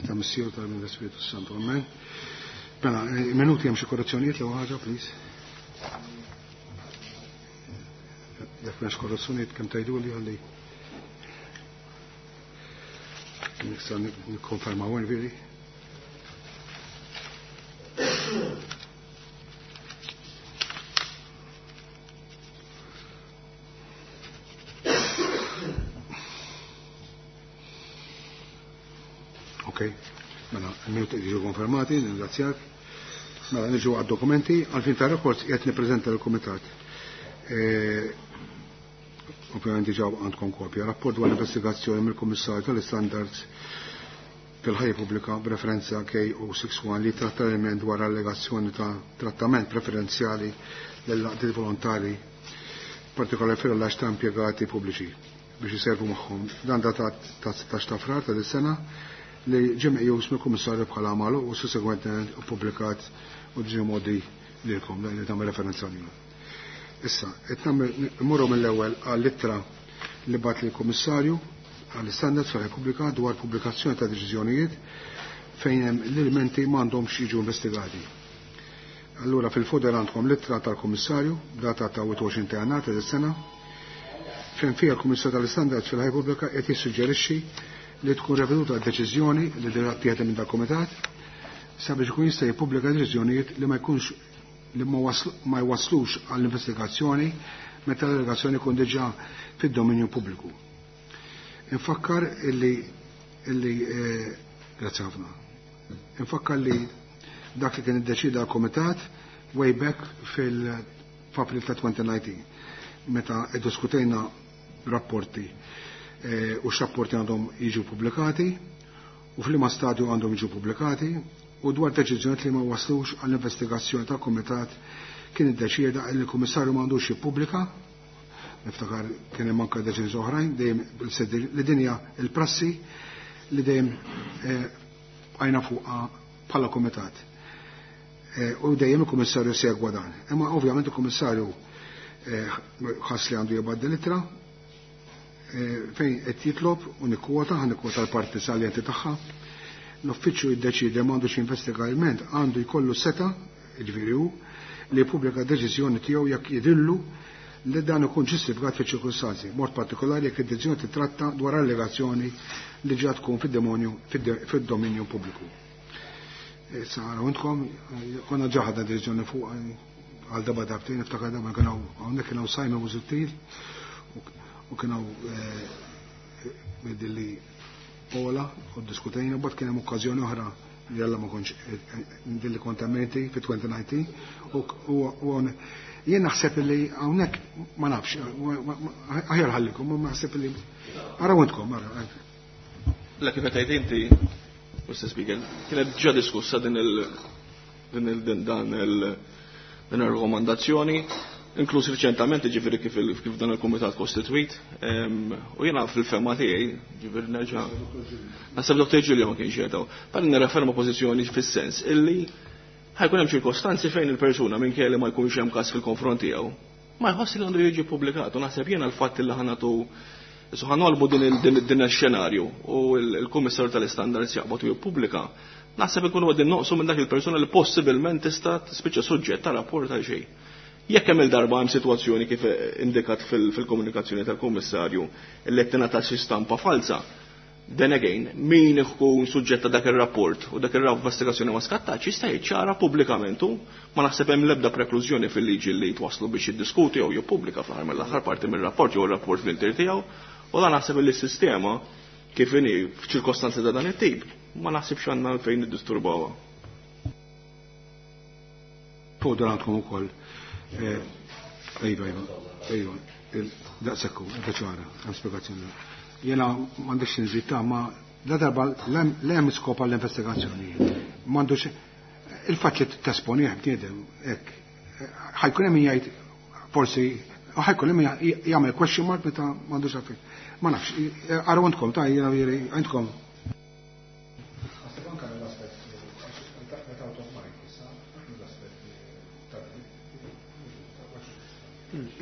Ta' Missier ta' l-Ispiritu Santu. Amen. Mela, minuti hemm xi korrezzjonijiet l ħaġa, please. Jekk m'hemmx korrezzjonijiet kemm tgħiduli għalli. Nista' nikkonfermaw veri. Ok, mela, il-minuti jiġu konfermati, ningrazzjak. Mela, niġu għad-dokumenti, għalfin ta' rekords qed nippreżenta l-Kumitat. Ovvjament diġà għandkom kopja. Rapport dwar investigazzjoni mill-Kummissarju tal-Standards fil-ħajja pubblika b'referenza KO61 li tratta element dwar allegazzjoni ta' trattament preferenzjali lill-għaqdiet volontari partikolari fil-rilax ta' impjegati pubbliċi biex jiservu magħhom. Dan datat ta' 16 ta' frar ta' dis-sena li ġie meqjus mill-Kummissarju bħala magħluq u sussegwentement ippubblikat u ġie mgħoddi lilkom dan li tagħmel referenza għalilu. Issa, qed nagħmel immorru mill-ewwel għall-ittra li bagħat lill-Kummissarju għall-Istandards tal-Repubblika dwar pubblikazzjoni ta' deċiżjonijiet fejn hemm l-ilmenti m'għandhomx jiġu investigati. Allura fil-folder għandkom l-ittra tal-Kummissarju, data ta' 21 ta' Jannar ta' sena, fejn fiha l-Kummissarju tal-Istandards fil-Ħajja Pubblika qed jissuġġerixxi li tkun reveduta d-deċiżjoni li diġà ttieħdet minn dal-Kumitat sabiex ikun jista' jippubblika deċiżjonijiet li ma jkunx li ma jwasslux għall-investigazzjoni meta l-allegazzjoni jkun diġà fid-dominju pubbliku. Infakkar illi illi grazzi ħafna. Infakkar li dak li kien iddeċida l-Kumitat way back fil-April ta' 2019 meta iddiskutejna rapporti u x'rapporti għandhom jiġu pubblikati u f'liema stadju għandhom jiġu pubblikati u dwar deċiżjonijiet li ma waslux għall-investigazzjoni tal-Kumitat kien iddeċieda li l-Kummissarju m'għandux jippubblika. Niftakar kien hemm anke deċiżjoni oħrajn dejjem li din hija l-prassi li dejjem bqajna fuqha bħala Kumitat. U dejjem il-Kummissarju segwa dan. Imma ovvjament il-Kummissarju ħass li għandu jibgħat din l-ittra fejn qed jitlob u nikkwota, ħa nikkwota l-parti saljenti tagħha. L-uffiċċju jiddeċiedi m'għandux jinvestiga ilment, għandu jkollu seta, jiġifieri hu, li jippubblika deċiżjoni tiegħu jekk jidhirlu li dan ikun ġustifikat fiċ-ċirkustanzi, mod partikolari jekk id-deċiżjoni titratta dwar allegazzjoni li ġa tkun fid-demonju fid-dominju pubbliku. Issa araw intkom, konna ġa ħadna deċiżjoni fuq għal darba darbtejn, niftakar darba kien hawn hawnhekk kien hawn Simon Busuttil u kien hawn dilli Ola u ddiskutejna, mbagħad kien hemm okkażjoni oħra li alla ma kontx dilli kont emmenti fi 2019 u jien naħseb li hawnhekk ma nafx, aħjar ħallikom, ma naħseb li araw intkom, ara. La kif qed tgħid inti, Mr. Speaker, kienet ġa diskussa din il din il din dan il din ir-rakkomandazzjoni, inkluż riċentament, ġifieri kif kif dan il-kumitat kostitwit, u jiena fil-fema tiegħi, ġifieri nerġa' naħseb Dr. Giulio ma kienx jgħidaw, bħal nirreferma pożizzjoni fis-sens illi ħajkun hemm ċirkostanzi fejn il-persuna minkejja li ma jkunx hemm każ fil-konfront tiegħu, ma jħoss li għandu jiġi ppubblikat, u naħseb jiena l-fatt li ħanatu Issa ħanolbu din din ix-xenarju u l-Kummissarju tal-Istandards jaqbad u jippubblika, naħseb ikunu qegħdin noqsu minn dak il-persuna li possibilment tista' tispiċċa suġġett ta' rapport għal xejn. Jekk hemm il-darba hemm sitwazzjoni kif indikat fil-komunikazzjoni tal-Kummissarju li qed tingħata xi stampa falsa, then again, min ikun suġġett ta' dak ir-rapport u dak ir-investigazzjoni ma skattax jista' jiċċara pubblikament u ma naħseb hemm l-ebda preklużjoni fil-liġi li twaslu biex jiddiskuti jew jippubblika fl-aħħar mill-aħħar parti mir-rapport jew ir-rapport fl-intier tiegħu, u dan naħseb li s-sistema kif inhi f'ċirkostanzi ta' dan it-tip ma naħsibx għandna għalfejn niddisturbawha. Fuq dan għandkom ukoll. Iva, iva, iva, daqshekk hu, qed ċara, hemm spjegazzjoni. Jiena m'għandix nżid ta' ma la darba l-hemm skop għall-investigazzjoni. M'għandux il-fatt li tesponih bniedem hekk. Ħajkun hemm min jgħid forsi ħajkun hemm min jagħmel question mark meta m'għandux għalfejn. Ma nafx, araw intkom ta' jiena jieri għandkom.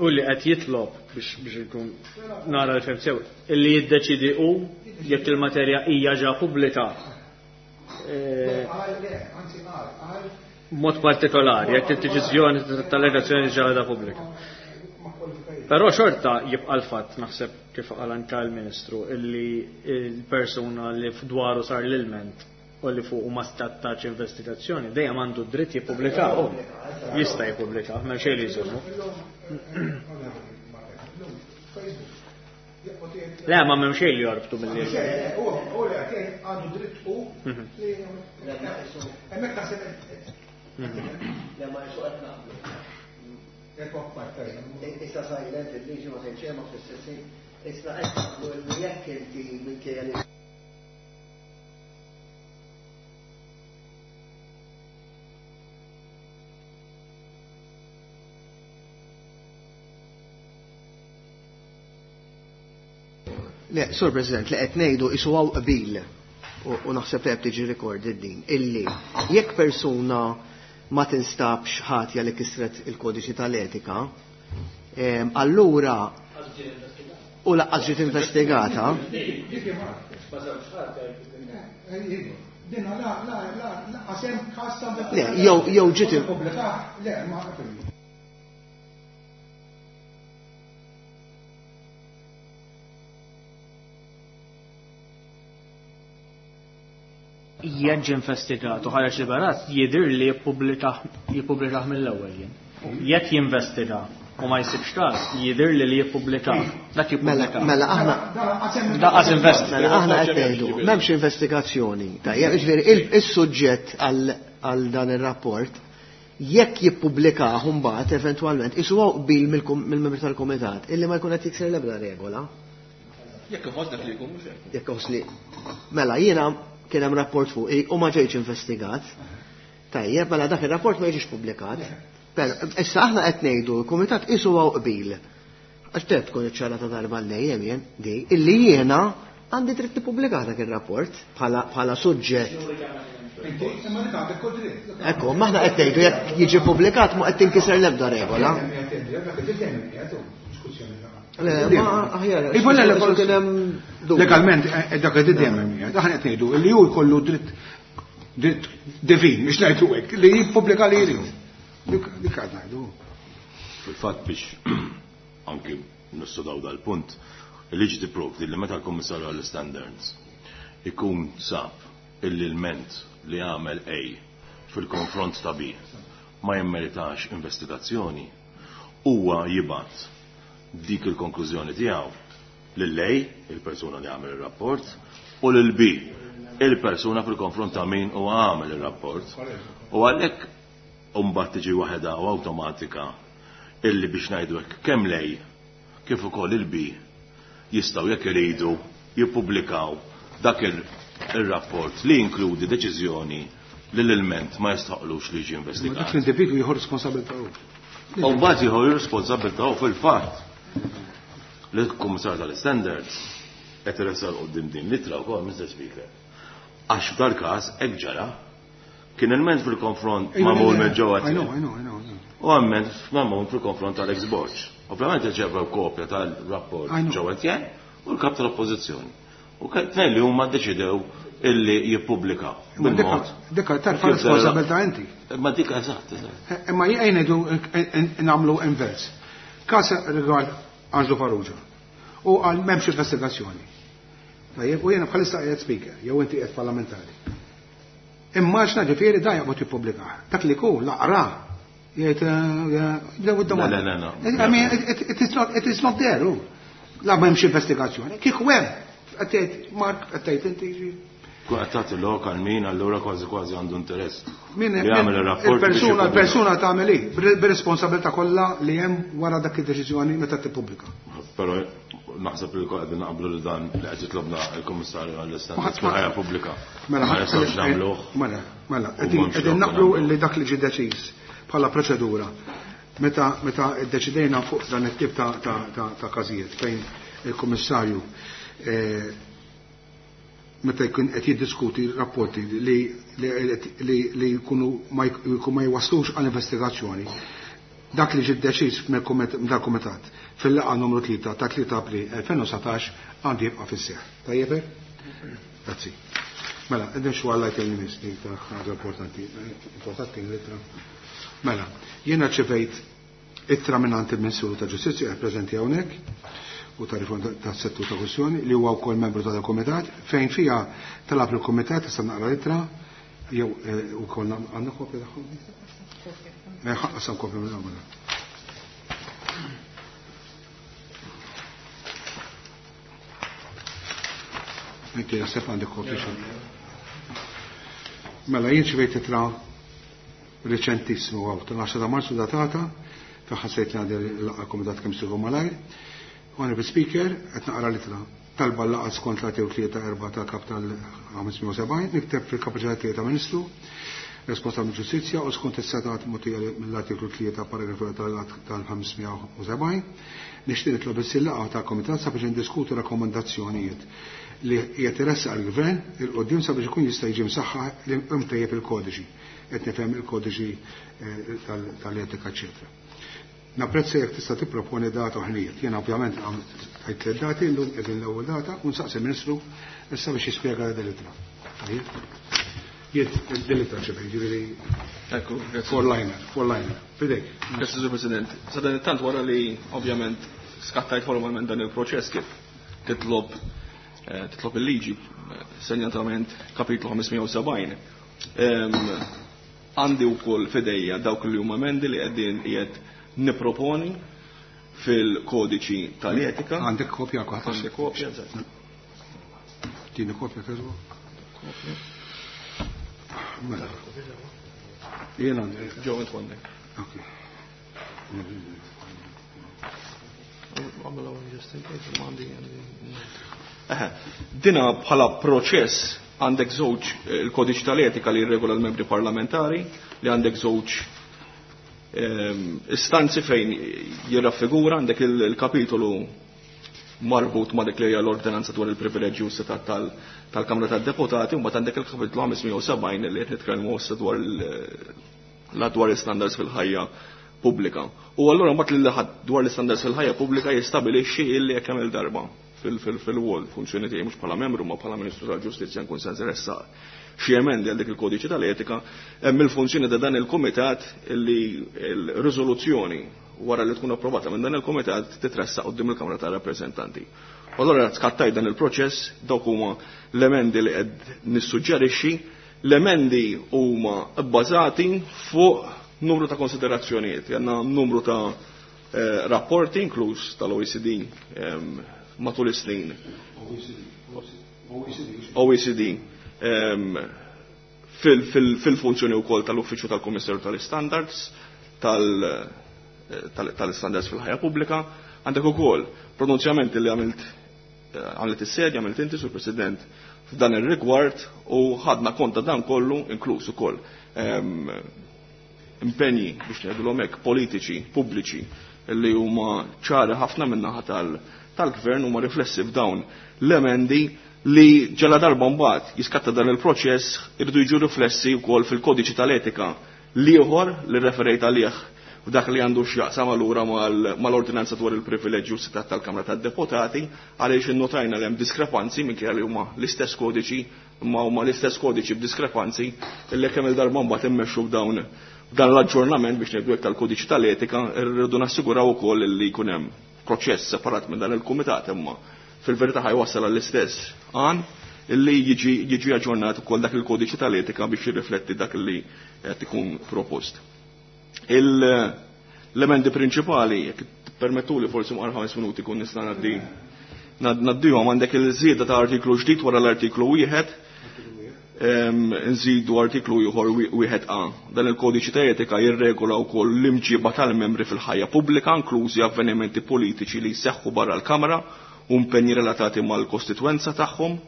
U li qed jitlob biex ikun nara l-fem sew, illi jiddeċidi hu jekk il-materja hija ġa pubblika. Mod partikolari, jekk id-deċiżjoni tal-allegazzjoni ġara pubblika. Però xorta jibqa' l-fatt, naħseb kif qal anke l-Ministru, illi l-persuna li fdwaru sar l-ilment u li fuq ma stattax investigazzjoni, dejjem għandu dritt jippubblika. Jista' jippubblika, m'hemm xejn li jżommu. Le, ma m'hemm xejn li jorbtu mill-li. Għandu dritt u hemmhekk naħseb. Le, ma jisu qed naqblu. Issa silent il-liġi ma tgħid xejn ma fl-istess ħin. Issa qed naqblu li jekk inti minkejja li Le, Sur President, li qed ngħidu isu hawn qbil u naħseb li qed tiġi recorded din, illi jekk persuna ma tinstabx ħatja li kisret il-kodiċi tal-etika, allura u laqqas ġiet investigata. Le, jew ġiet Le, ma Jekk ġie investigat u ħareġ liberat, jidher li jippubblikah mill-ewwel jien. Jekk jinvestiga u ma jsibx każ, jidher li li jippubblikah. Dak jippubblikah. Mela aħna Daqqas investiga. Mela aħna qed ngħidu, m'hemmx investigazzjoni. Tajjeb, jiġifieri is-suġġett għal dan ir-rapport jekk jippubblikah mbagħad eventwalment isu hawn qbil mill-membri tal-kumitat illi ma jkun qed jikser l-ebda regola. Jekk iħoss dak li jkun mhux hekk. Jekk iħoss li. Mela jiena kien hemm rapport fuq u ma ġejtx investigat. Tajjeb, mela dak ir-rapport ma jiġix pubblikat. Però issa aħna qed ngħidu l-kumitat isu hawn qbil. Għax trid tkun iċċarata darba l-dejjem jien di illi jiena għandi dritt nippubblika dak ir-rapport bħala suġġett. Ekku, maħna qed ngħidu jekk jiġi pubblikat ma qed tinkiser l-ebda regola. Le, ma aħjar, Iva, le, le, għax kien hemm dubju. Legalment, dak qed dejjem hemm qiegħed. Aħna qed ngħidu li hu jkollu dritt divin, biex ngħidu hekk, li jippubblika li jrid. Dik qed ngħidu. Fil-fatt biex anki nissudaw dal-punt, il-liġi tipprovdi li meta l-Kummissarju għall-Standards ikun sab illi l-ment li għamel A fil-konfront ta' B ma jimmeritax investigazzjoni, huwa jibgħat dik il-konklużjoni tiegħu lil A, il-persuna li għamel ir-rapport, u lil B, il-persuna fil-konfront ta' min huwa għamel ir-rapport. U għalhekk mbagħad tiġi waħedha u awtomatika illi biex ngħidu hekk kemm lej kif ukoll il-B jistgħu jekk iridu jippubblikaw dak ir-rapport li jinkludi deċiżjoni li l-ilment ma jistħoqlux li jiġi investigat. Dak l-individwu jieħu responsabilità hu. U mbagħad jieħu responsabilità hu fil-fatt. L-Kummissarju tal-Standards qed iressaq quddiem din l-ittra wkoll, Mr. Speaker. Għax f'dal-każ hekk ġara kien ilment fil-konfront magħmul minn ġewwa I know, I know, I know, I know. U għamment magħmul fil-konfront tal-ex Borg. Ovvjament irċevew kopja tal-rapport I know. ġewwa Etienne u l-kap tal-Oppożizzjoni. U tnejn li huma ddeċidew illi jippubblikaw. Imma Bil-mod. dikka tarfa Kif responsabilità inti. Imma dik eżatt, eżatt. Imma jgħin ngħidu nagħmlu invers. Każ rigward Angelo Farrugia. U għal m'hemmx investigazzjoni. Tajjeb, u jiena bħalissa qiegħed speaker, jew inti qiegħed parlamentari. Imma x'na ġifieri da jaqbad jippubblika. Dak li jkun laqra jgħid jgħid Le, le, le, le. I mean, it is not, it is not there, hu. La m'hemmx investigazzjoni. Kieku hemm, qed tgħid Mark, qed tgħid inti ġi. Kun qed tagħti lok għal min allura kważi kważi għandu interess. Min Li jagħmel ir-rapport biex jippubblika. il-persuna tagħmel hi, bir-responsabilità kollha li hemm wara dak id-deċiżjoni meta tippubblika. Però naħseb li qegħdin naqblu li dan li qed jitlobna l-Kummissarju għall-Istandards fil-ħajja pubblika. Mela, Ma nistgħux nagħmluh. Mela, mela, U m'hemmx qegħdin lok naqblu nagħmluh. li dak li ġie deċiż bħala proċedura. Meta ddeċidejna fuq dan it-tip ta' każijiet fejn il-Kummissarju meta jkun qed jiddiskuti rapporti li jkunu ma jwaslux għal investigazzjoni. Dak li ġie deċiż mill-kumitat fil-laqgħa numru 3 ta' 3 April 2019 għandu jibqa' fis-seħħ. Tajjeb hekk? Grazzi. Mela, qegħdin xu għalla jkelli nisni ta' ħaġa importanti. Importanti l-ittra. Mela, jiena ċevejt ittra minn il-Ministru ta' Ġustizzja qed preżenti hawnhekk u ta' riforma tas-settur ta' kwistjoni li huwa wkoll membru tal-Kumitat fejn fiha talab il-Kumitat issa naqra l-ittra jew ukoll għandna kopja tagħhom? Ħaqqasam kopja minn hawn. Inti naħseb għandek kopja xi. Mela jien ċivejt ittra reċentissmu għaw, tal-10 ta' Marzu datata, fejn ħassejt li għandi l-laqgħa komitat kemm siru malajr. Honorable Speaker, qed naqra l-ittra. Talba l-laqgħa skont l-artikolu 3-4 tal-Kap tal-570, nikteb fil-kapaċità tiegħi ta' Ministru responsabbli ġustizzja u skont is-setat mogħtija mill-artiklu 3 paragrafu tal-570, nixtieq nitlob issir laqgħa tal-Komitat sabiex indiskutu rakkomandazzjonijiet li qiegħed iressaq il-Gvern il quddiem sabiex ikun jista' jiġi msaħħaħ imtejjeb il-kodiċi, qed nifhem il-kodiċi tal-etika, eċetera. Napprezza jekk tista' tipproponi data u ħinijiet. Jiena ovvjament għajt tliet dati, llum qegħdin l-ewwel data u nsaqsi il-Ministru issa biex jispjega din l-ittra. Jien din l-ittra ċebej, ġifieri Ekku, grazzi. Four liner, four liner. Fidejk. Grazzi, Sur President. Sa dan it-tant wara li ovvjament skattajt formalment dan il-proċess kif titlob titlob il-liġi, senjatament kapitlu 570. Għandi wkoll fidejja dawk li huma emendi li qegħdin qiegħed niproponi fil-kodiċi tal-etika. Għandek kopja kwa? Għandek kopja, eżatt. Tini kopja keżbu? Kopja. Mela. Jien għandi. Ġew int għandek. Ok. Dina bħala proċess għandek żewġ il-kodiċi tal-etika li jirregola l-membri parlamentari, li għandek żewġ istanzi fejn jirraffigura, għandek il-kapitolu marbut ma' dik li hija l-ordinanza dwar il-privileġġi u s-setat tal-Kamra tad-Deputati, u mbagħad għandek il-kapitolu 570 li qed nitkellmu issa dwar dwar l-istandards fil-ħajja pubblika. U allura mbagħad li ħadd dwar l-istandards fil-ħajja pubblika jistabilixxi illi jekk hemm il-darba fil-wol funzjoni tiegħi mhux bħala membru ma bħala Ministru tal-Ġustizzja nkun se nressaq xi emendi għal dik il-kodiċi tal-etika, hemm il-funzjoni ta' dan il-kumitat illi l-riżoluzzjoni wara li tkun approvata minn dan il-kumitat titressaq quddiem il-Kamra tar-Rappreżentanti. U allura skattaj dan il-proċess, dawk huma l-emendi li qed nissuġġerixxi, l-emendi huma bbażati fuq numru ta' konsiderazzjonijiet, għandna numru ta' rapporti inkluż tal-OECD matul is-snin. OECD fil-funzjoni wkoll tal-Uffiċċju tal-Kummissarju tal-Standards, tal-Standards fil-ħajja pubblika, għandek ukoll pronunzjamenti li għamilt is-sedja, għamilt inti sur President f'dan ir-rigward u ħadna konta dan kollu inkluż ukoll impenji biex ngħidulhom hekk politiċi pubbliċi li huma ċari ħafna min-naħa tal-gvern huma riflessi f'dawn l-emendi li ġala darba mbagħad jiskatta dan il-proċess irridu jiġu riflessi wkoll fil-kodiċi tal-etika l-ieħor li referejt għalih f'dak li għandu x'jaqsam allura mal-ordinanza dwar il-privileġġi u s-setat tal-Kamra tad-Deputati għaliex innotajna li hemm diskrepanzi minkejja li huma l-istess kodiċi imma huma l-istess kodiċi b'diskrepanzi illi kemm il-darba mbagħad immexxu f'dawn dan l-aġġornament biex ngħidu hekk tal-kodiċi tal-etika rridu nassiguraw ukoll li jkun hemm proċess separat minn dan il-kumitat imma fil-verità ħajwassal għall-istess għan illi jiġi aġġornat ukoll dak il-kodiċi tal-etika biex jirrifletti dak li qed ikun propost. L-emendi prinċipali, jekk permettuli forsi mqar 5 minuti kun nista' ngħaddihom, għandek il-żieda ta' artiklu ġdid wara l-artiklu wieħed, nżidu artiklu ieħor wieħed A. Dan il-kodiċi ta' etika jirregola wkoll l-imġiba tal-membri fil-ħajja pubblika, inklużi avvenimenti politiċi li jseħħu barra l-Kamra u impenji relatati mal-kostitwenza tagħhom.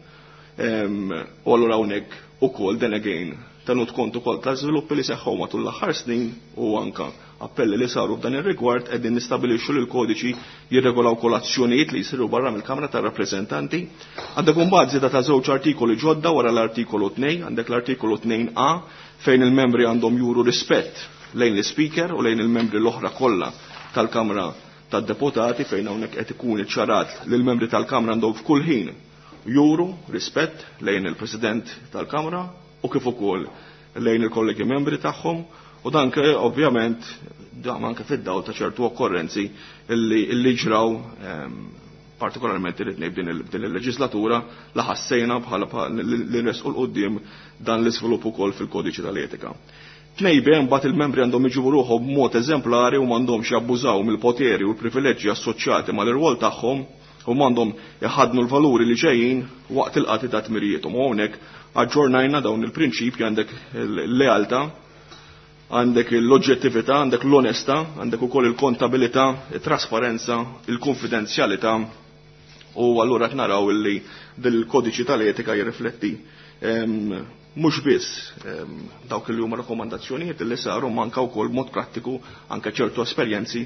U allura hawnhekk ukoll then again tenut kont ukoll ta' żviluppi li seħħu matul l-aħħar snin u anka appelli li saru f'dan ir-rigward qegħdin nistabilixxu li l-kodiċi jirregolaw wkoll azzjonijiet li jsiru barra mill-Kamra tar-Rappreżentanti. Għandek imbagħad żieda ta' żewġ artikoli ġodda wara l-artikolu 2, għandek l-artikolu 2A fejn il-membri għandhom juru rispett lejn l-Speaker u lejn il-membri l-oħra kollha tal-Kamra tad-Deputati fejn hawnhekk qed ikun iċċarat li l-membri tal-Kamra għandhom f'kull ħin juru rispett lejn il-President tal-Kamra u kif ukoll lejn il-kollegi membri tagħhom u dan ovvjament dan anke fid-dawl ta' ċertu okkorrenzi illi ġraw partikolarment irid ngħid din il-leġislatura la ħassejna bħala li nresqu l-qudiem dan l-iżvilupp ukoll fil-kodiċi tal-etika. 2B mbagħad il-membri għandhom iġibu ruħhom b'mod eżemplari u m'għandhomx jabbużaw mill-poteri u l-privileġġi assoċjati mal-irwol tagħhom u m'għandhom iħaddnu l-valuri li ġejjin waqt il-qati ta' tmirijiethom. U hawnhekk aġġornajna dawn il-prinċipji għandek l-lealtà, għandek l-oġġettività, għandek l-onestà, għandek ukoll il-kontabilità, it-trasparenza, il-konfidenzjalità u allura qed naraw illi dil-kodiċi tal-etika jirrifletti mhux biss dawk li huma rakkomandazzjonijiet li saru manka wkoll mod prattiku anke ċertu esperjenzi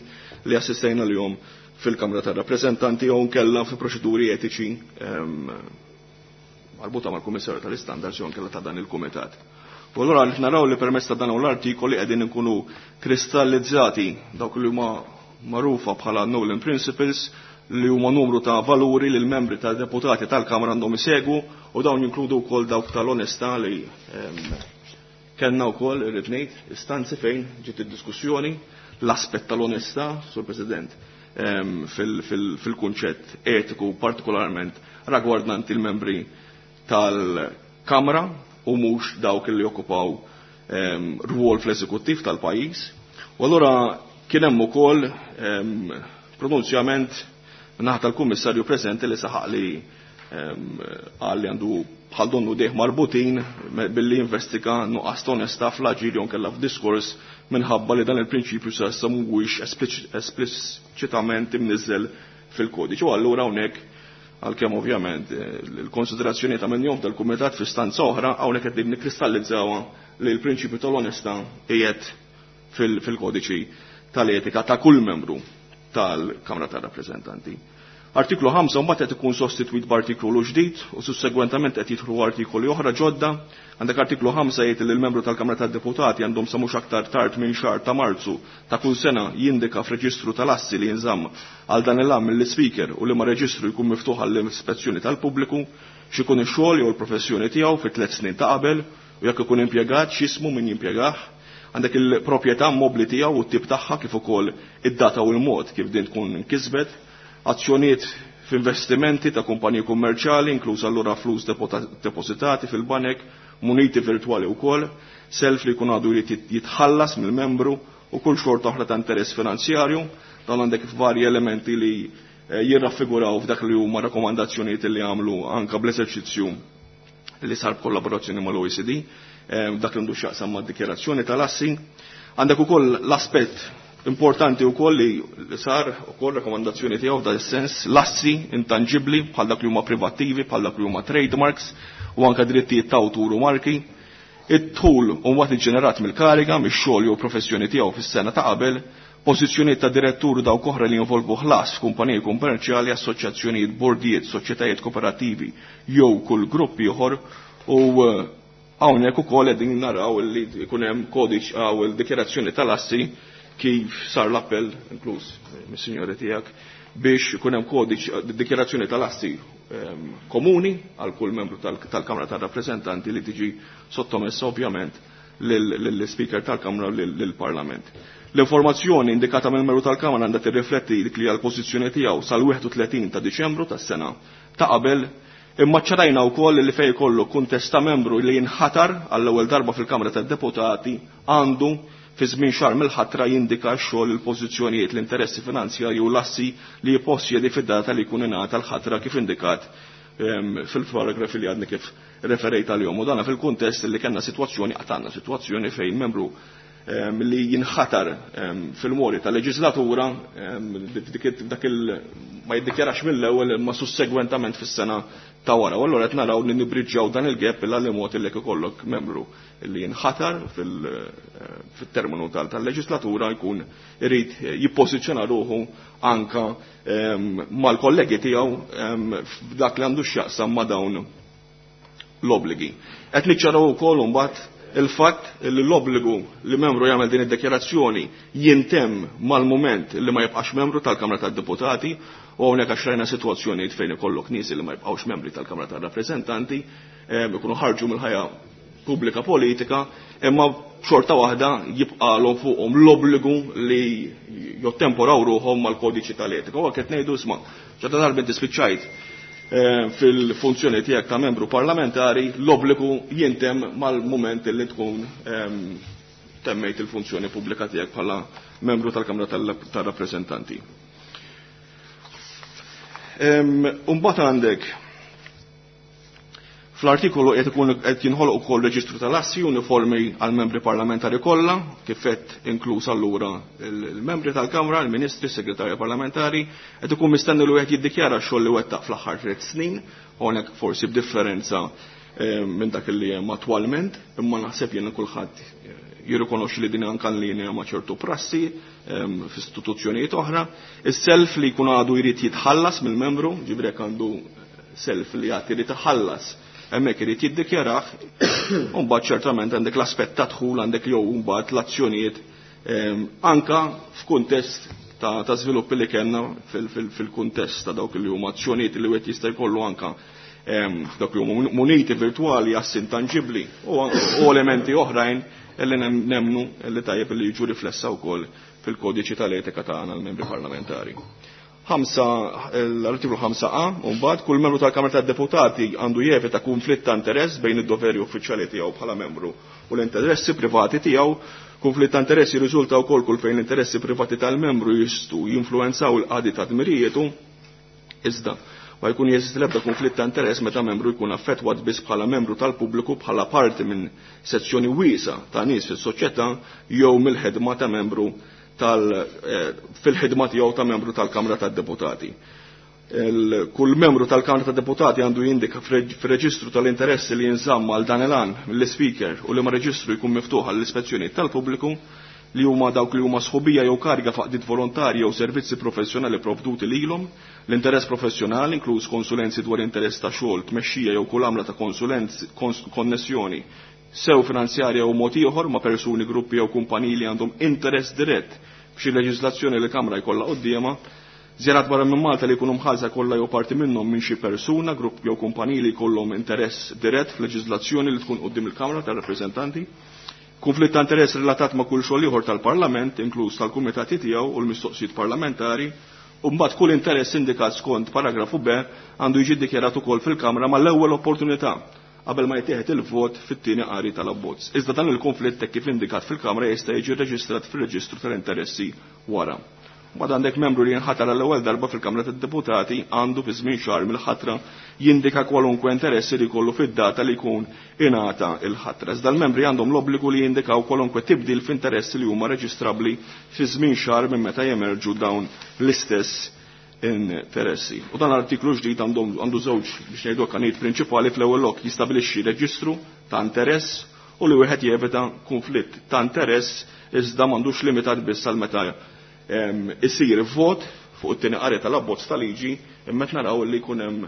li assistejna lihom fil-Kamra tar-Rappreżentanti jew nkella fi proċeduri etiċi marbuta mal-Kummissarju tal-Istandards jew nkella ta' dan il-Kumitat. U allura qed naraw li permezz ta' dan l-artikoli qegħdin inkunu kristallizzati dawk li huma magħrufa bħala Nolan Principles li huma numru ta' valuri li l-membri ta' deputati tal-Kamra għandhom isegwu u dawn jinkludu wkoll dawk tal-onestà li kellna wkoll irrid ngħid istanzi fejn ġiet id-diskussjoni l-aspett tal-onestà, Sur President, fil-kunċett etiku partikolarment ragwardant il-membri tal-Kamra u mhux dawk li jokkupaw rwol fl-eżekuttiv tal-pajjiż. U allura kien hemm ukoll pronunzjament naħa tal-Kummissarju preżenti li saħaq li qal li għandu bħal donnu dejh marbutin billi investiga nuqqas ta' onestà fl-aġir jew nkella f'diskors minħabba li dan il-prinċipju sa issa mhuwiex espliċitament imniżżel fil-kodiċi. U allura hawnhekk għalkemm ovvjament il-konsiderazzjoni ta' minnhom tal-kumitat fi stanza oħra hawnhekk qed nikkristallizzawa li l-prinċipju tal-onestà qiegħed fil-kodiċi tal-etika ta' kull membru tal-Kamra tar-Rappreżentanti. Artiklu 5 mbagħad qed ikun sostitwit b'artikolu ġdid u sussegwentament qed jidħlu artikoli oħra ġodda. Għandek artiklu 5 jgħid li l-membru tal-Kamra tad-Deputati għandhom sa mhux aktar tard minn xahar ta' Marzu ta' kull sena jindika f'reġistru tal-assi li jinżamm għal dan il-għam mill-Ispeaker u li ma reġistru jkun miftuħ għall-ispezzjoni tal-pubbliku x'ikun ix-xogħol jew l-professjoni tiegħu fi 3 snin ta' qabel u jekk ikun impjegat x'ismu min jimpjegah. Għandek il-proprjetà mobbli tiegħu u t-tip tagħha kif ukoll id-data u l-mod kif din tkun inkisbet, azzjonijiet f'investimenti ta' kumpaniji kummerċjali, inkluż allura flus depositati fil-banek, muniti virtwali wkoll, self li jkun għadu jrid jitħallas mill-membru u kull xorta oħra ta' interess finanzjarju. Dan għandek varji elementi li jirraffiguraw f'dak li huma rakkomandazzjonijiet li għamlu anka bl-eżerċizzju li sar b'kollaborazzjoni mal-OECD, dak li għandu x'jaqsam mad-dikjarazzjoni tal-assi. Għandek ukoll l-aspett importanti wkoll li sar ukoll rakkomandazzjoni tiegħu f'dan is-sens, l-assi intangibbli bħal dak li huma privattivi, bħal dak li huma trademarks u anke drittijiet ta' awtur u marki. Id-dħul u mbagħad iġġenerat mill-kariga, mix-xogħol jew professjoni tiegħu fis-sena ta' qabel, pożizzjonijiet ta' direttur u dawk oħra li jinvolvu ħlas f'kumpaniji kummerċjali, assoċjazzjonijiet, bordijiet, soċjetajiet kooperattivi jew kull grupp ieħor u hawnhekk ukoll qegħdin naraw li jkun hemm kodiċ għaw il-dikjarazzjoni tal-assi kif sar l-appell, inkluż mis-sinjori tiegħek, biex ikun hemm kodiċ dikjarazzjoni tal-assi komuni għal kull membru tal-Kamra tar-Rappreżentanti li tiġi sottomessa ovvjament lill-Speaker tal-Kamra u lill-Parlament. L-informazzjoni indikata mill-membru tal-Kamra għandha tirrifletti dik li hija l-pożizzjoni tiegħu sal-31 ta' Diċembru tas-sena ta' qabel, imma ċarajna wkoll li fejn ikollu kuntest ta' membru li jinħatar għall-ewwel darba fil-Kamra tad-Deputati għandu fi żmien xahar mill-ħatra jindika x-xogħol, il-pożizzjonijiet, l-interessi finanzjarji u l-assi li jippossjedi fid-data li jkun ingħata l-ħatra kif indikat fil-paragrafi li għadni kif referejt għalihom. U dana fil-kuntest li kellna sitwazzjoni, qatt għandna sitwazzjoni fejn membru li jinħatar fil-mori tal-leġislatura dak il ma jiddikjarax mill-ewwel imma sussegwentament fis-sena ta' wara. U allura qed naraw li nibriġġaw dan il-gap illa li mod li ikollok membru li jinħatar fil-terminu tal-leġislatura jkun irid jippożizzjona ruħu anka mal-kollegi tiegħu f'dak li għandu x'jaqsam ma' dawn l-obbligi. Qed niċċaraw ukoll imbagħad il-fatt li l-obbligu li membru jagħmel din id-dikjarazzjoni jintemm mal-mument li ma jibqax membru tal-Kamra tad-Deputati, u hawnhekk għax rajna sitwazzjonijiet fejn ikollok nies li ma jibqgħux membri tal-Kamra tar-Rappreżentanti, ikunu ħarġu mill-ħajja pubblika politika, imma xorta waħda jibqalhom fuqhom l-obbligu li jottemporaw ruħhom mal-kodiċi tal-etika. U qed ngħidu isma' ċerta darba inti spiċċajt fil-funzjoni tiegħek ta' membru parlamentari, l-obbligu jintem mal-mument li tkun temmejt il-funzjoni pubblika tiegħek bħala membru tal-Kamra tar-Rappreżentanti. Imbagħad għandek fl-artikolu qed ikun qed jinħoloq ukoll reġistru tal-assi uniformi għal membri parlamentari kollha, kif qed inkluż allura il-membri tal-Kamra, il-Ministri, s-Segretarja Parlamentari, qed ikun mistenni li wieħed jiddikjara x-xogħol li wettaq fl-aħħar 3 snin, hawnhekk forsi b'differenza minn dak li hemm attwalment, imma naħseb jien kulħadd jirrikonoxxi li din anke linja ma' ċertu prassi f'istituzzjonijiet oħra. Is-self li jkun għadu jrid jitħallas mill-membru, ġifieri jekk għandu self li għad irid iħallas, hemmhekk irid jiddikjarah, u mbagħad ċertament għandek l-aspett ta' dħul, għandek jew mbagħad l-azzjonijiet anka f'kuntest ta' żviluppi li kellna fil-kuntest ta' dawk li huma azzjonijiet li wieħed jista' jkollu anka dawk li huma muniti virtwali, assi intanġibbli u elementi oħrajn li nemnu li tajjeb li jiġu riflessa wkoll fil-kodiċi tal-etika tagħna l-membri parlamentari. L-artiklu 5a, u mbagħad kull membru tal-Kamra tad-Deputati għandu jevita konflitt ta' interess bejn id-doveri uffiċjali tiegħu bħala membru u l-interessi privati tiegħu. Konflitt ta' interessi jirriżulta wkoll kull fejn l-interessi privati tal-membru jistgħu jinfluwenzaw il-qadi ta' dmirijietu, iżda ma jkun jeżisti l-ebda konflitt ta' interess meta membru jkun affettwat biss bħala membru tal-pubbliku bħala parti minn sezzjoni wiesa ta' nies fis-soċjetà jew mill-ħidma ta' membru fil-ħidma tiegħu ta' membru tal-Kamra tad-Deputati. Kull membru tal-Kamra tad-Deputati għandu jindika fir-reġistru tal-interessi li jinżamm għal dan il-għan mill-Speaker u li ma reġistru jkun miftuħ għall-ispezzjoni tal-pubbliku li huma dawk li huma sħubija jew kariga f'għaqdiet volontarji jew servizzi professjonali provduti lilhom, l-interess professjonali inkluż konsulenzi dwar interess ta' xogħol, tmexxija jew kull għamla ta' konsulenzi, konnessjoni sew finanzjarja u mod ieħor ma' persuni, gruppi jew kumpaniji li għandhom interess dirett f'xi leġiżlazzjoni li Kamra jkollha quddiemha, żjarat barra minn Malta li jkunu mħallsa kollha jew parti minnhom minn xi persuna, grupp jew kumpaniji li jkollhom interess dirett f'leġiżlazzjoni li tkun quddiem il-Kamra tar-Rappreżentanti, konflitt ta' interess relatat ma' kull xogħol ieħor tal-Parlament, inkluż tal-kumitati tiegħu u l-mistoqsijiet parlamentari, u mbagħad kull interess indikat skont paragrafu B għandu jiġi ddikjarat ukoll fil-Kamra mal-ewwel opportunità qabel ma jittieħed il-vot fit-tieni qari tal-abbozz. Iżda dan il-konflitt hekk kif indikat fil-Kamra jista' jiġi rreġistrat fir-reġistru tal-interessi wara. Mbagħad għandek membru li jinħatar għall-ewwel darba fil-Kamra tad-Deputati għandu fi żmien xahar mill-ħatra jindika kwalunkwe interessi li jkollu fid-data li jkun ingħata il-ħatra. Iżda l-membri għandhom l-obbligu li jindikaw kwalunkwe tibdil f'interessi li huma reġistrabbli fi żmien xahar minn meta jemerġu dawn l-istess interessi. U dan l-artiklu ġdid għandu żewġ biex ngħidu għanijiet prinċipali. Fl-ewwel lok jistabilixxi reġistru ta' interess u li wieħed jevita konflitt ta' interess, iżda m'għandux limitat biss għal meta isir vot fuq it-tieni qari tal-abbozz ta' liġi, imma qed naraw li jkun hemm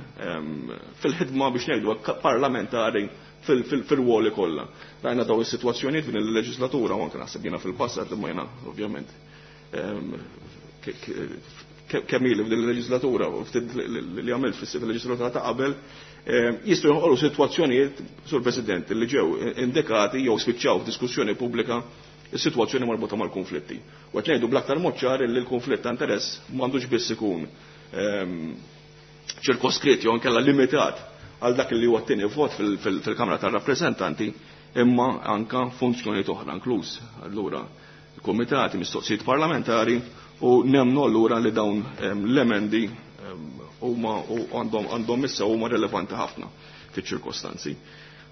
fil-ħidma biex ngħidu hekk parlamentari fil-ruoli kollha. Rajna daw is-sitwazzjonijiet f'din il-leġislatura u anke naħseb jiena fil-passat, imma jiena ovvjament kemm ili f'din il-leġislatura u ftit li għamilt fil-leġislatura ta' qabel, jistgħu joħolqu sitwazzjonijiet, Sur President, li ġew indikati jew spiċċaw f'diskussjoni pubblika is-sitwazzjoni marbuta mal-konflitti. U qed ngħidu bl-aktar mod ċar li l-konflitt ta' interess m'għandux biss ikun ċirkoskritt jew inkella limitat għal dak li huwa t-tieni vot fil-Kamra tar-Rappreżentanti, imma anka funzjonijiet oħra inkluż allura il-kumitati, mistoqsijiet parlamentari, u nemnu allura li dawn l-emendi huma u għandhom issa huma relevanti ħafna fiċ-ċirkostanzi.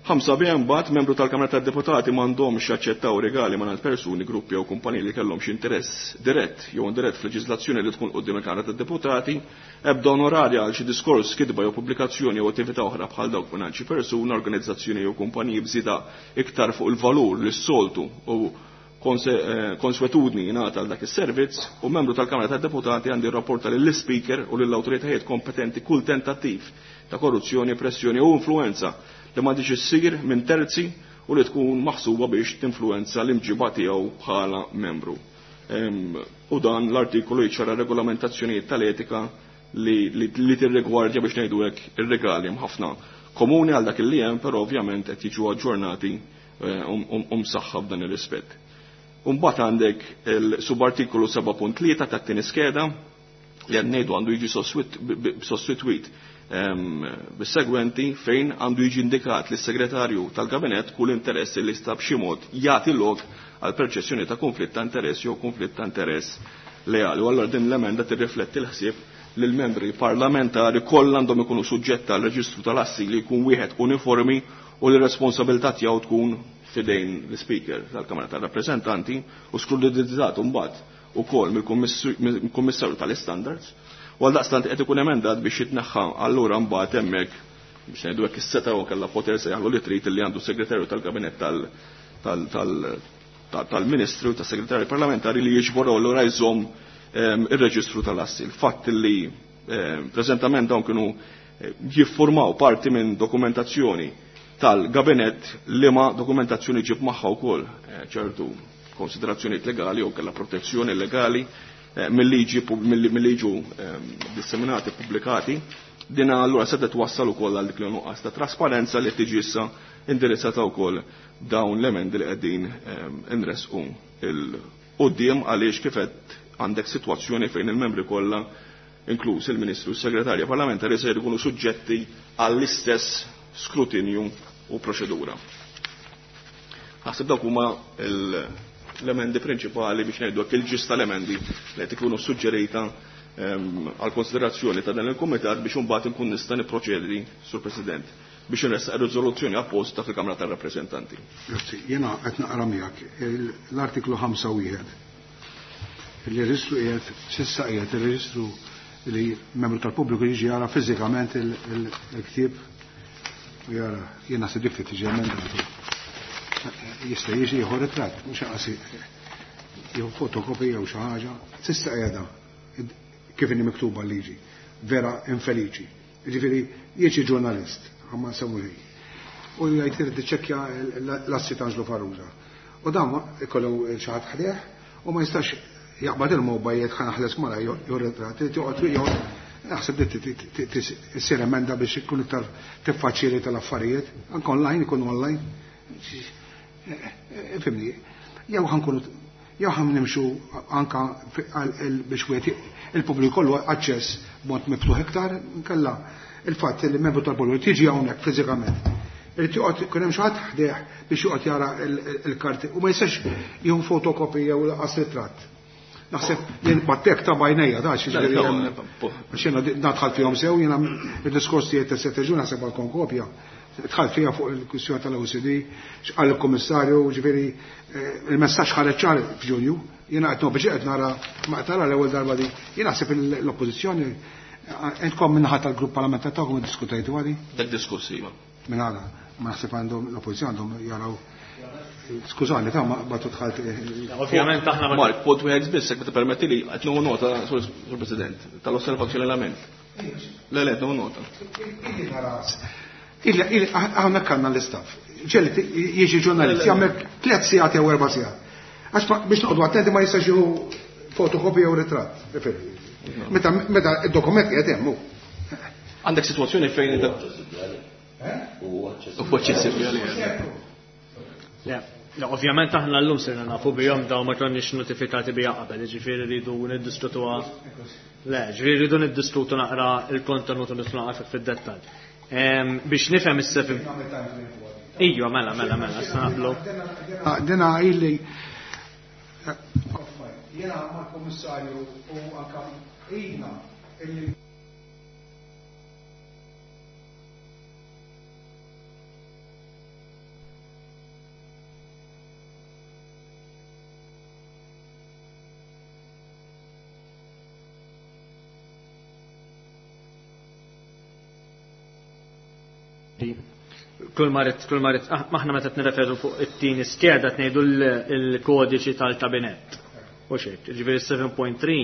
5 B mbagħad membru tal-Kamra tad-Deputati m'għandhomx jaċċettaw regali mingħand persuni, gruppi jew kumpaniji li kellhom xi interess dirett jew indirett f'leġiżlazzjoni li tkun quddiem il-Kamra tad-Deputati, ebda onorarja għal xi diskors, kitba jew pubblikazzjoni jew attività oħra bħal dawk mingħand xi persuna, organizzazzjoni jew kumpaniji bżida iktar fuq il-valur li s-soltu u konswetudni jingħata għal dak is-servizz, u membru tal-Kamra tad-Deputati għandi rrapporta lill-Speaker u lill-awtoritajiet kompetenti kull tentattiv ta' korruzzjoni, pressjoni u influenza li m'għandix issir minn terzi u li tkun maħsuba biex tinfluwenza l-imġiba tiegħu bħala membru. U dan l-artikolu jiċċara regolamentazzjonijiet tal-etika li tirrigwardja biex ngħidu hekk ir-regali ħafna komuni għal dak li hemm, però ovvjament qed jiġu aġġornati u msaħħa f'dan ir-rispett. Mbagħad għandek il-subartikolu 7.3 tat-tieni skeda li qed ngħidu għandu jiġi sostitwit bis-segwenti fejn għandu jiġi indikat li s-segretarju tal-kabinett kull interess li sta b'xi mod jagħti lok għal perċezzjoni ta' konflitt ta' interess jew konflitt ta' interess leali. U allura din l-emenda tirrifletti l-ħsieb li l-membri parlamentari kollha għandhom ikunu suġġetta għal reġistru tal-assi li jkun wieħed uniformi u li r-responsabilità tiegħu tkun fidejn l-Speaker tal-Kamra tar-Rappreżentanti u skrutinizzat mbagħad ukoll mill-Kummissarju tal-Istandards. U għaldaqstant qed ikun emendat biex jitneħħa allura mbagħad hemmhekk biex ngħidu hekk is-seta' u kellha poter se jaħlu li trid li għandu segretarju tal-kabinett tal-Ministru tas-Segretarju Parlamentari li jiġbor allura jżomm ir-reġistru tal-assi. Il-fatt li preżentament dawn kienu jiffurmaw parti minn dokumentazzjoni tal-gabinett li ma dokumentazzjoni ġib magħha wkoll ċertu konsiderazzjonijiet legali u kellha protezzjoni legali mill-liġi mill-liġu disseminati pubblikati, din allura se twassal ukoll għal dik li nuqqas ta' trasparenza li tiġi issa indirizzata wkoll dawn l-emendi li qegħdin inresqu il-quddiem għaliex kif qed għandek sitwazzjoni fejn il-membri kollha inkluż il-Ministru u s-Segretarja Parlamentari se jkunu suġġetti għall-istess skrutinju u proċedura. Naħseb dawk huma l-emendi prinċipali biex ngħidu hekk il-ġis tal-emendi li qed ikunu suġġerita għal konsiderazzjoni ta' dan il-kumitat biex imbagħad inkun nista' nipproċedi, Sur President, biex inressaq riżoluzzjoni apposta fil-Kamra tar-Rappreżentanti. Grazzi, jiena qed naqra miegħek l-artiklu 5 Il-reġistru qiegħed s'issa qiegħed il-reġistru li membru tal-pubbliku jiġi jara fiżikament il-ktieb u jara jiena se dik tiġi emendatu. Jista' jiġi jieħu ritratt, mhux aqas jieħu fotokopija jew xi ħaġa. S'issa qiegħda kif inhi miktuba l-liġi, vera infeliċi. Jiġifieri jiġi ġurnalist, ħamma nsemmu xejn. U jgħid irid iċċekkja l-assi ta' Anġlu Farrugia. U dan ikollu xi ħadd ħdejh u ma jistax jaqbad il-mobile jgħid ħa naħles mara jew ritratt, irid joqgħod joqgħod naħseb li issir emenda biex ikun iktar tiffaċilita l-affarijiet, anke online ikun online. Fimni, jew ħankunu jew ħan nimxu anka biex wieħed il-pubbliku kollu aċċess b'mod miftuħ iktar, nkella il-fatt li membru tal-pubbliku tiġi hawnhekk fiżikament. Irid joqgħod ikun hemm xi ħadd ħdejh biex joqgħod jara l-karti u ma jistax jieħu fotokopi jew laqas ritratt. Naħseb jien battek ta' bajnejja da xi ġifieri għax jiena nadħal fihom sew jiena id-diskors tiegħi ta' sette ġun naħseb għal kopja. Dħalt fiha fuq il-kwistjoni tal-OCD, x'qal il-Kummissarju, ġifieri il-messaġġ ħareġ ċar f'Ġunju, jiena qed biex qed nara ma tara l-ewwel darba di. Jien naħseb l-oppożizzjoni intkom minnaħa tal-grupp parlamentari tagħkom iddiskutejtu għadi? Dak diskussi iva. Minn għada, ma naħseb għandhom l-oppożizzjoni għandhom jaraw. Skużani, ta' ma batu dħalt. Ovvjament aħna ma Mark, punt wieħed biss, jekk permetti li qed nieħu nota, Sur President, tal-osservazzjoni l-għamilt. Le, le, nieħu nota. Hawnhekk għandna l-istaff. Ġelli jiġi ġurnalist, jagħmel 3 sigħat jew 4 sigħat. Għax biex noqogħdu attenti ma jistax jieħu fotokopja jew ritratt. Meta meta id-dokument qiegħed hemm hu. Għandek sitwazzjoni fejn Huwa aċċessibbli għalih. Le, ovvjament aħna llum sirna nafu bihom daw ma konniex notifikati biha qabel, jiġifieri rridu niddiskutuha. Le, ġifieri rridu niddiskutu naqra il-kontenut u nidħlu naqra fid-dettall. Biex nifhem is-seven. Ijwa, mela, mela, mela, issa naqblu. Dina illi jiena mal-Kummissarju u anka ilna illi Kull marit, kull marit, maħna meta nirreferu fuq it-tieni skeda qed ngħidu l-kodiċi tal-kabinett. U xejn, ġifieri 7.3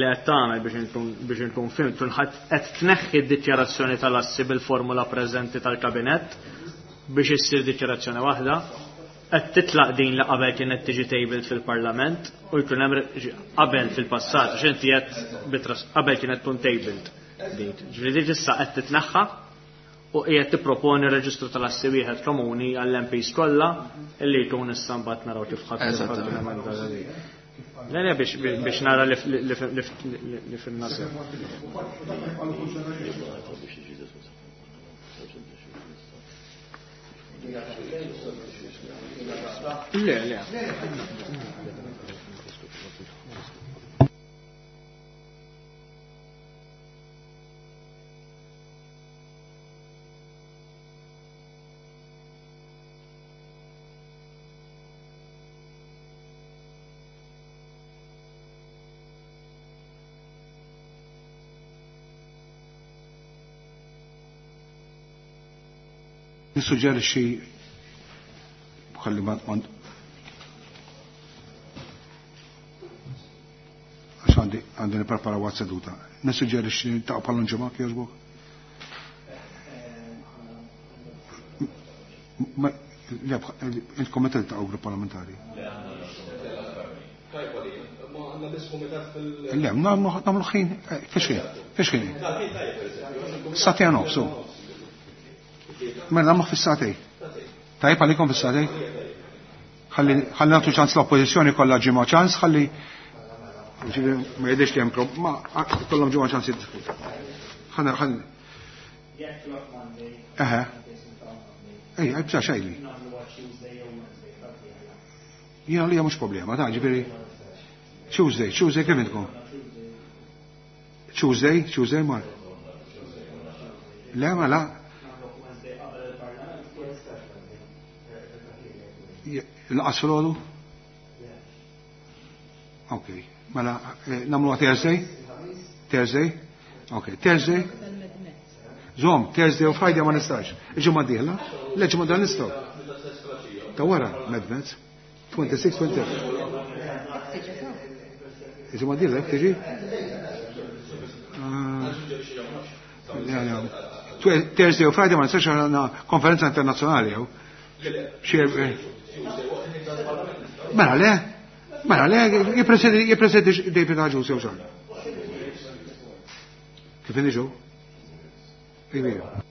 li qed tagħmel biex inkun fim, tkun qed tneħħi d-dikjarazzjoni tal-assi bil-formula preżenti tal-kabinett Biex issir dikjarazzjoni waħda, qed titlaq din li qabel kienet tiġi tabled fil-Parlament u jkun hemm qabel fil-passat, għax inti qed qabel kienet tkun tabled din. Ġifieri dik issa qed titneħħa u qiegħed tipproponi reġistru tal-assi wieħed komuni għall-MPs kollha illi jkun issa mbagħad naraw kif ħadd. Le, le, biex nara li fimna sew. Le, le. Nissuġġerixxi ħalli ma għax għandi għandi nipprepara waqt seduta. Nissuġġerixxi ta' bħal ġimgħa kieżbok. Il-komitat ta' grupp parlamentari. Le, nagħmlu ħin, fiex ħin, fiex ħin. Satija nofsu. Mela nagħmlu fis-satej. Tajjeb għalikom fis-satej? Ħalli nagħtu ċans l-oppożizzjoni kollha ġimgħa ċans, ħalli ma jidhirx li hemm ma kollhom ġimgħa ċans jiddiskutu. Ħana ħalli. Eħe. Ej, bsa xejli. Jiena li mhux problema, ta' ġifieri. Tuesday, Tuesday kemm intkom? Tuesday, Tuesday mar. Le, ma la. Laqas fil-ħodu? Ok, mela, namlu Thursday? Thursday? Ok, Thursday? Zom, Thursday u Friday ma nistax. Il-ġimgħa d-dieħla? Le, ġimgħa d nistgħu. Ta' wara, Medmez. 26, 27. Il-ġimgħa d-dieħla tiġi? Thursday u Friday ma nistax għandna konferenza internazzjonali jew. Mela le, mela le, jippresedi David Agius jew xan. Kif iniġu? Iva.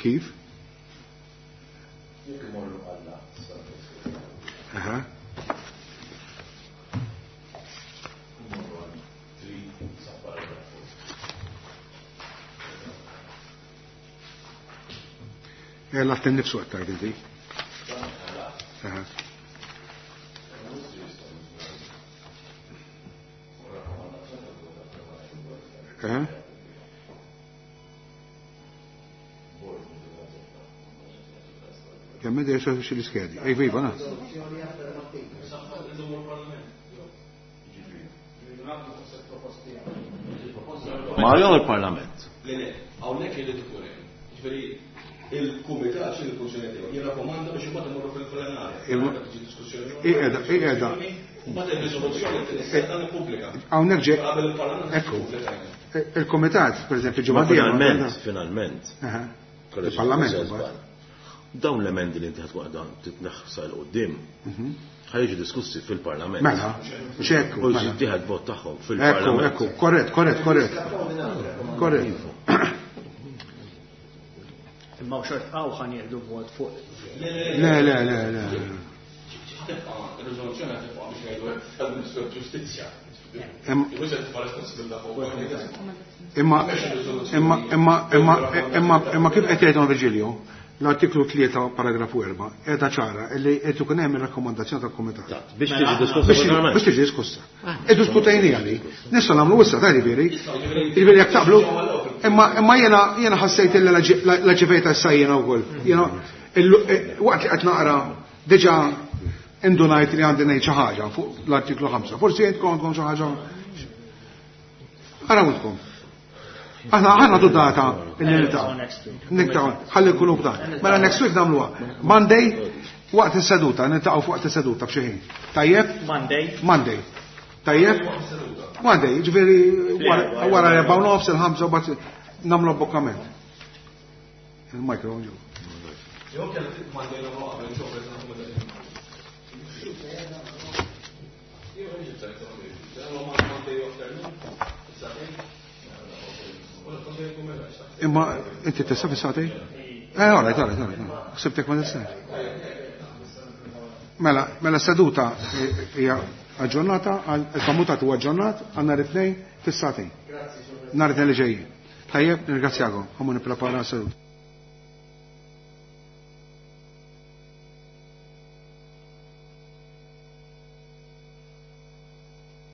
Kif? Aha. L-għat nifsu għattajt inti. Aha. Aha. Kemm id xi l-iskedi. Ej, viva, na. Ma jew il-Parlament. Le, le, hawnhekk irid ikun hemm. Ġifieri il-kumitat xi l-funzjoni tiegħu jirrakkomanda biex imbagħad imorru fil-plenarja. Tiġi diskussjoni. Qiegħda, qiegħda. Mbagħad ir-riżoluzzjoni tista' nippubblika. Hawnhekk ġej. Qabel il-Parlament. Ekku. Il-kumitat, pereżempju, ġimgħa Finalment, finalment. Il-Parlament. imbagħad. Dawn l-emendi li inti ħatkun għadha titneħħsa l qudiem ħajġu diskussi fil-Parlament. Mela, ċekku. U jittieħed vot tagħhom fil-Parlament. Ekku, ekku, korrett, korrett, korrett. Korrett. Imma u xort għaw ħan jieħdu vot fuq. Le, le, le, le. Tibqa' ir-riżoluzzjoni tibqa' biex ngħidu tal-Ministru tal-Ġustizzja. Imma, imma, imma, imma, imma, imma kif qed jgħidhom Virgilio? L-artiklu 3 paragrafu 4 qiegħda ċara li qed ikun hemm ir-rakkomandazzjoni tal-Kumitat. Biex tiġi diskussa fil-Parlament. Biex tiġi diskussa. Iddiskutejniha li. Nistgħu nagħmlu issa ta' jiġifieri. Jiġifieri jekk taqblu. Imma imma jiena jiena ħassejt illi l-ġivejta issa jiena wkoll. Jiena waqt li qed naqra diġà indunajt li għandi ngħid xi ħaġa fuq l-artiklu 5. Forsi jentkom għandkom xi ħaġa. Arawtkom. Aħna aħna tu data illi niltaqgħu. Niltaqgħu, ħalli nkunu b'dan. Mela next week nagħmluha. Monday waqt is-seduta, niltaqgħu fuq is-seduta f'xi ħin. Tajjeb? Monday. Monday. Tajjeb? Monday, ġifieri wara 4:30 il-5 u bagħad nagħmlu abbokkament. Il-microphone ġew. Jew kellek Monday nagħmlu qabel, Imma inti tista' fis-sagħtej? Eh, all right, all right, all right. Ħsibtek ma tistax. Mela, mela seduta hija aġġornata, il-komutat huwa aġġornat għal nhar it-tnejn fis-sagħtejn. Nhar it-tnejn li ġejjin. Tajjeb, nirringrazzjakom. Ħa mmur nipprepara seduta.